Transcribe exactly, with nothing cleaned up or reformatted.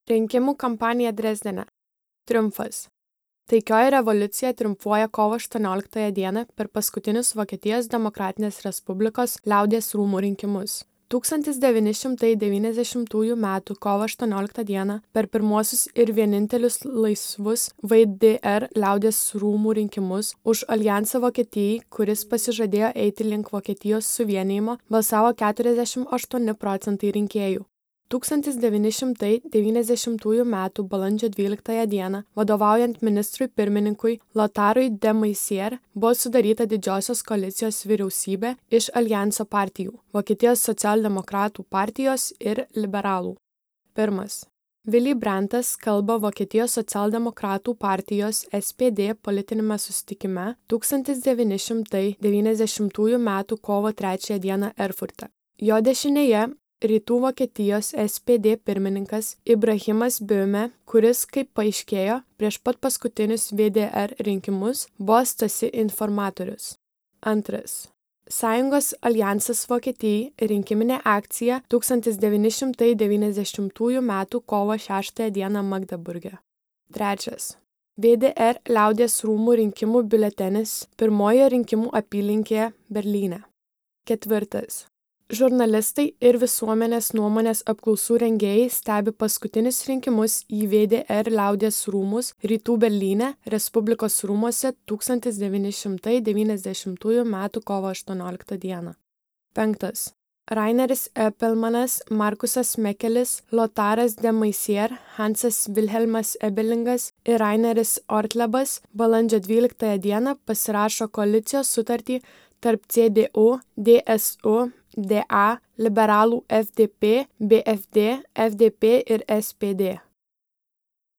Rinkimų kampanija Drezdene. Triumfas. Taikioji revoliucija triumfuoja kovo aštuonioliktąją dieną per paskutinius Vokietijos Demokratinės Respublikos liaudies rūmų rinkimus. tūkstantis devyni šimtai devyniasdešimtųjų metų kovo aštuonioliktą dieną per pirmuosius ir vienintelius laisvus V D R liaudies rūmų rinkimus už Aljansą Vokietijai, kuris pasižadėjo eiti link Vokietijos suvienijimo, balsavo keturiasdešimt aštuoni procentai rinkėjų. tūkstantis devyni šimtai devyniasdešimtųjų metų balandžio dvyliktąją dieną, vadovaujant ministrui pirmininkui Lotarui de Maizière, buvo sudaryta didžiosios koalicijos vyriausybė iš Aljanso partijų – Vokietijos socialdemokratų partijos ir liberalų. Pirmas. Willy Brandtas kalba Vokietijos socialdemokratų partijos S P D politiniame susitikime tūkstantis devyni šimtai devyniasdešimtųjų metų kovo trečiąją dieną Erfurte. Jo dešinėje Rytų Vokietijos S P D pirmininkas Ibrahimas Böhme, kuris, kaip paaiškėjo, prieš pat paskutinius V D R rinkimus buvo Stasi informatorius. Antras. Sąjungos Aljansas Vokietijai rinkiminė akcija tūkstantis devyni šimtai devyniasdešimtųjų metų kovo šeštąją dieną Magdeburge. Trečias. V D R liaudies rūmų rinkimų biuletenis pirmojoje rinkimų apylinkėje Berlyne. Ketvirtas. Žurnalistai ir visuomenės nuomonės apklausų rengėjai stebi paskutinius rinkimus į V D R liaudies rūmus Rytų Berlyne, Respublikos rūmuose tūkstantis devyni šimtai devyniasdešimtųjų metų kovo aštuonioliktą dieną. Penktas. Raineris Epelmanas, Markusas Mekelis, Lotaras de Maizière, Hansas Wilhelmas Ebelingas ir Raineris Ortlebas balandžio dvyliktąją dieną pasirašo koalicijos sutartį tarp C D U, D S U, D A, liberalų F D P, B F D, F D P ir S P D.